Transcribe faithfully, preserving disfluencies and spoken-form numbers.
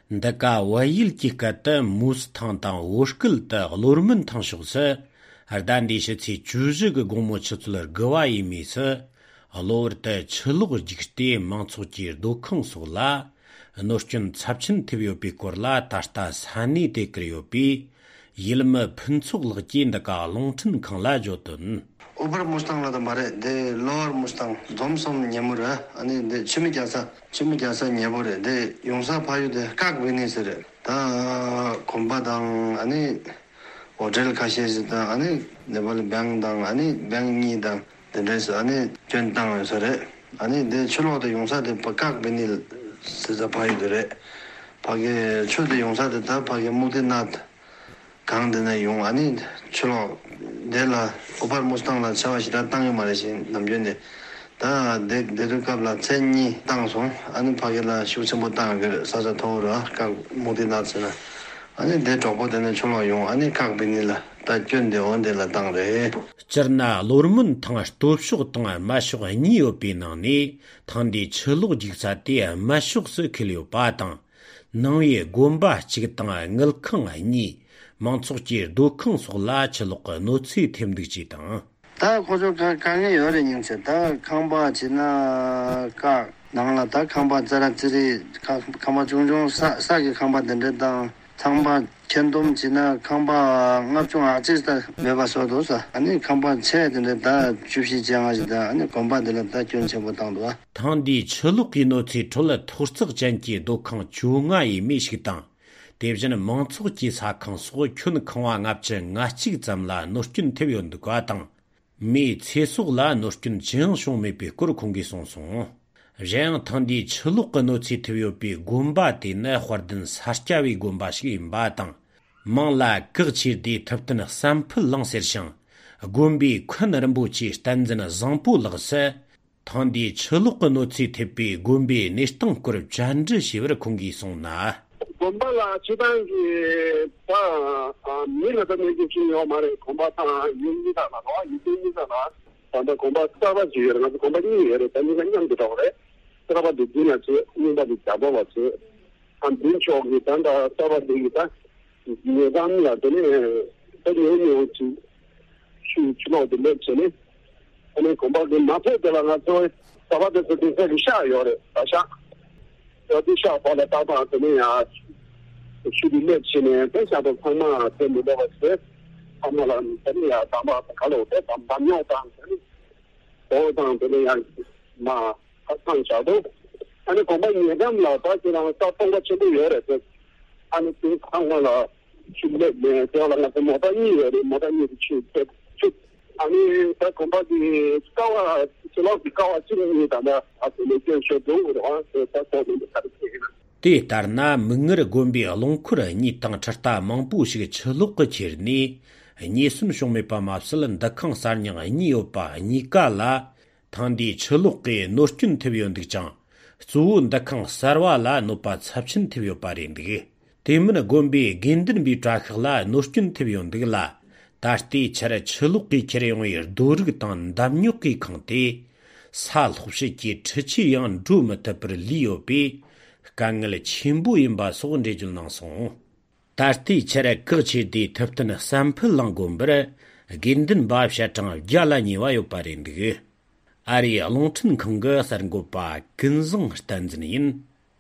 Ndaka wayil kikata mus tang tang woshkil ta lormen tang shuksa, hardan di shitsi chuzhig gomo chitsular gawa imi sa, lor ta chilug jikshti mangtsukjir dokang sukla, noshchun tsapchin tibyopi korla tashta sani tekriyopi, yilma pintsuk lagji ndaka longchin kangla jotun. Uber Mustang la mare de lower Mustang domsom nyamura ani de chimi jasa chimi jasa nyabore de yongsa payu de kak venisere da kombadang ani hotel ka시에서 da ani nebal bangdang ani bangni da de ani 전당 서래 아니 내 출로도 용사들 bakak venil 스자 파유들에 파게 초대 용사들 다 파게 모데낫 강드나 용 아니 출로 내가 오발 무스탕라 차와시다 땅에 말이신 남전에 다 내들갑라 천니 땅송 아니 파게라 쇼츠모 땅을 사자 도로 각 모데낫스나 아니 내 저보다는 출로 용 아니 각 venil 다 견데 온데라 땅래 Chirna lormun tanga stopshug tanga mashug niyo pinangni tangdi chilug jiksa tiya mashug su kilyo patang nangye gomba chig tanga ngilkang ni mangtsuk jir dokang sugla chilug notsi temdik tang. 다 고조 강에 여러 닝세 다 강바 지나 가 나라 다 강바 자라 지리 강바 종종 사 사기 강바 된다 장바 견돔 지나 강바 납종 아지다 매바서도서 아니 강바 체든데 다 주시 장아지다 아니 공바들 다 견체보 당도 당디 철룩이 노치 톨라 토스적 잔기 독강 중앙이 미식당 대비전은 멍츠기 사강 소 큐는 강화 납제 나치 잠라 노스킨 태비온도 과당 미 체속라 노스킨 정송메 비꾸르 공기송송 ᱡᱮᱝ ཐང་དི་ཆལུག་ནོ་ཚི་ཐུཡོ་པི་གོམ་པ་དེ་ནེ་ཧོར་དན་སར་ཅ་བི་གོམ་པ་ཞིག་ཡིན་པ་དང་མང་ལ་གག་ཆི་དི་ཐབ་ཏན་སམ་ཕལ་ལང་སེར་ཤང་གོམ་པི་ཁན་རམ་བུ་ཅི་སྟན་ཛན་ཟང་པུ་ལགས་ཐང་དི་ཆལུག་ནོ་ཚི་ཐེ་པི་གོམ་པི་ནེਸ਼ྟང་གོར་ཇན་ར་ཤིབར་ཁུང་གི་སོང་나 곰발라 지방기 바 밀어도 내기 중요 말에 곰바타 윤기다 나와 유진이다 나 근데 곰바타가 지여나 곰바니 예를 들면 그냥 그래 trabalho de dinheiro, não dá de trabalho, a gente joga tanto trabalho de guitarra, e dá-me lá, tem tem um outro, chulo de leite, né? Ele compra de mapa de lá na tua, trabalho de de de chá, olha, achar. Eu deixa para dar para também a chulo de leite, né? Pensa do como tem de você, como lá tem a tama calor, tem banho tá, ou então tem a ma 상자도 아니 공부 예감 나빠지랑 사통과 제도 열에 아니 그 상관을 준비 내 대화랑 같은 모든 일이 모든 일이 취해 아니 그 공부기 스카와 슬로 비카와 지금이다나 앞으로 계셔도 와서 사통을 가르치기는 티 다르나 멍거 곰비 알롱쿠라 니땅 차타 망부식 철룩거 지르니 니숨 쇼메파 맙슬은 다캉 사냥 니오파 니까라 당디 철룩게 노스킨 테비온득장 주운 다캉 사르와라 노파 찹친 테비오 파린디게 데문의 곰비 겐든 비트라클라 노스킨 테비온득라 다스티 차레 철룩게 체레용이 도르기 땅 담뉴기 칸티 살 혹시기 처치양 주마타프르 리오비 강을 침부임바 소근데줄 나송 다스티 차레 거치디 탑트나 샘플랑 곰브레 겐든 바브샤탕 잘라니와요 파린디게 아리 롱튼 컨거 사르고파 근성 스탄즈니인